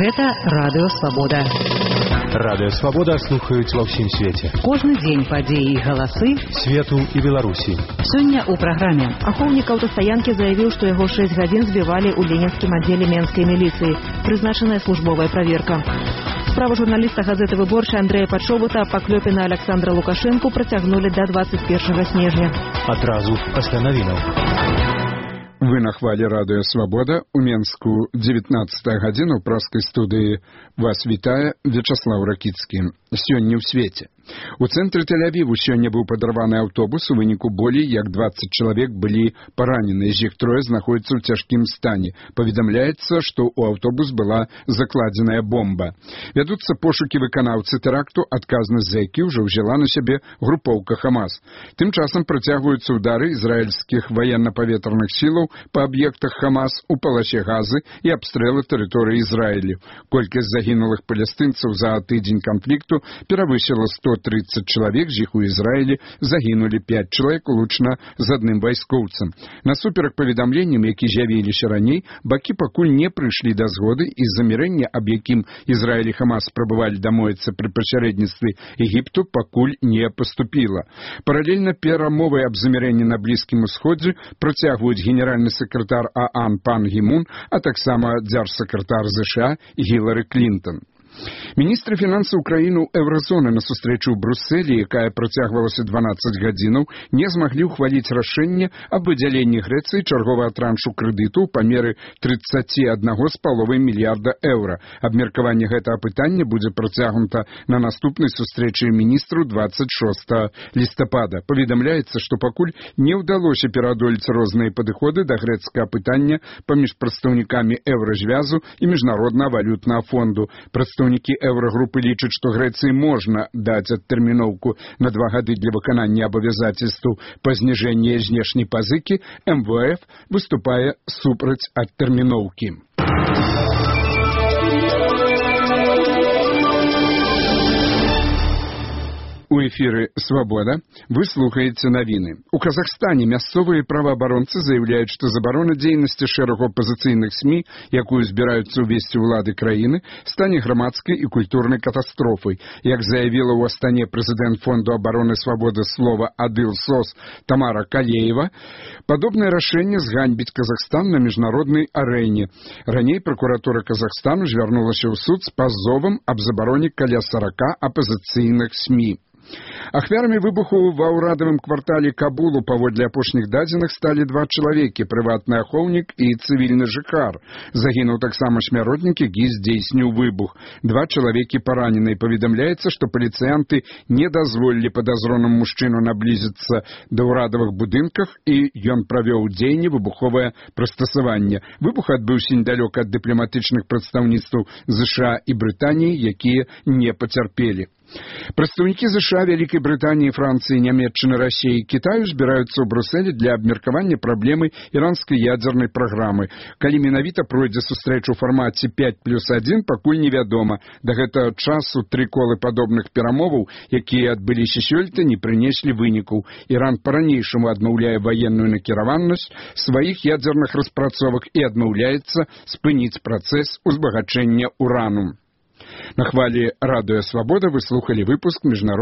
Гэта Радыё Свабода. Радыё Свабода слухаюць ва ўсім свеце. Кожны дзень падзеі і галасы свету і Беларусі. Сёння ў праграме. Ахоўнік аўтастаянкі заявіў, што яго 6 гадзін збівалі ў ленінскім аддзеле менскай міліцыі. Прызначаная службовая праверка. Справу журналіста газеты «Выборча» Андрэя Падшобута па клёпе на Александра Лукашэнку працягнулі да 21 снежня. Адразу пасля навінаў. Вы на хвале Радыё Свабода. У Менску 19 гадзіна ў праскай студыі вас вітае Вячаслаў Ракіцкі. Сёння ў свеце. У цэнтры Тель-Авіву сёння быў падарваны аўтобус, у выніку болей як 20 чалавек былі паранены, з іх трое знаходзяцца ў цяжкім стане. Паведамляецца, што ў аўтобус была закладзеная бомба. Вядуцца пошукі выканаўцы тэракту, адказнасць за які ўжо ўзяла на сябе групоўка Хамас. Тым часам працягваюцца ўдары ізраільскіх ваенна-паветраных сілаў па аб'ектах Хамас у паласе Газы і абстрэлы тэрыторыі Ізраілю. Колькасць загінулых палестынцаў за тыдзень канфлікту перавысіла 130 чалавек, з іх у Ізраілі загінулі 5 чалавек, улучна з адным вайскоўцам. Насуперак паведамленням, які з'явіліся раней, бакі пакуль не прыйшлі да згоды, і замірэнне, аб якім Ізраіль і Хамас спрабавалі дамовіцца пры пасярэдніцтве Егіпту, пакуль не паступіла. Паралельна перамовы аб замірэнні на Блізкім Усходзе працягваюць генеральны сакратар ААН пан Гі Мун, а таксама дзяржсакратар ЗША Гілары Клінтон. Міністры фінансаў краін Еўразоны на сустрэчу ў Брюсселі, якая працягвалася 12 гадзінаў, не змаглі ўхваліць рашэнне аб выдзяленні Грэцыі чарговага траншу крэдыту ў памеры 31,5 мільярда еўра. Абмеркаванне гэтага пытання будзе працягнута на наступнай сустрэчы міністраў 26 лістапада. Паведамляецца, што пакуль не ўдалося пераадолець розныя падыходы да грэцкага пытання паміж прадстаўнікамі Еўразвязу і Міжнароднага валютнага фонду. Прадстаўнікі Еўрагрупы лічаць, што Грэцыі можна даць адтэрміноўку на 2 гады для выканання абавязацельстваў па зніжэнні знешняй пазыкі. МВФ выступае супраць адтэрміноўкі. У эфіры «Свабода» вы слухаеце навіны. У Казахстане мясцовыя праваабаронцы заяўляюць, што забарона дзейнасці шэрагу апазіцыйных СМІ, якую збіраюцца ўвесці ўлады краіны, стане грамадскай і культурнай катастрофай. Як заявіла ў Астане прэзідэнт Фонду абароны свабоды слова Адыл СОС Тамара Калеева, падобнае рашэнне зганьбіць Казахстан на міжнароднай арэне. Раней пракуратура Казахстану звярнулася ў суд з пазовам аб забароне каля 40 апазіцыйных СМІ. Ахвярамі выбуху ва ўрадавым квартале Кабулу паводле апошніх дадзеных сталі 2 чалавекі, прыватны ахоўнік і цывільны жыхар. Загінуў таксама смяротнік, які здзейсніў выбух. 2 чалавекі паранены. Паведамляецца, што паліцыянты не дазволілі падазронаму мужчыну наблізіцца да ўрадавых будынках, і ён правёў у дзеянні выбуховае прыстасаванне. Выбух адбыўся недалёка ад дыпламатычных прадстаўніцтваў ЗША і Брытаніі, якія не пацярпелі. Прадстаўнікі ЗША, Вялікай Брытаніі, Францыі, Нямецчыны, Расіі і Кітаю збіраюцца ў Брюсселі для абмеркавання праблемы іранскай ядзернай праграмы. Калі менавіта пройдзе сустрэча ў фармаце 5+1, пакуль невядома. Да гэтага часу 3 колы падобных перамоваў, якія адбыліся сёлета, не прынеслі вынікаў. Іран па-ранейшаму адмаўляе ваенную накіраванасць сваіх ядзерных распрацовак і адмаўляецца спыніць працэс узбагачэння урану. На хвале Радыё Свабода вы слухалі выпуск міжнароднага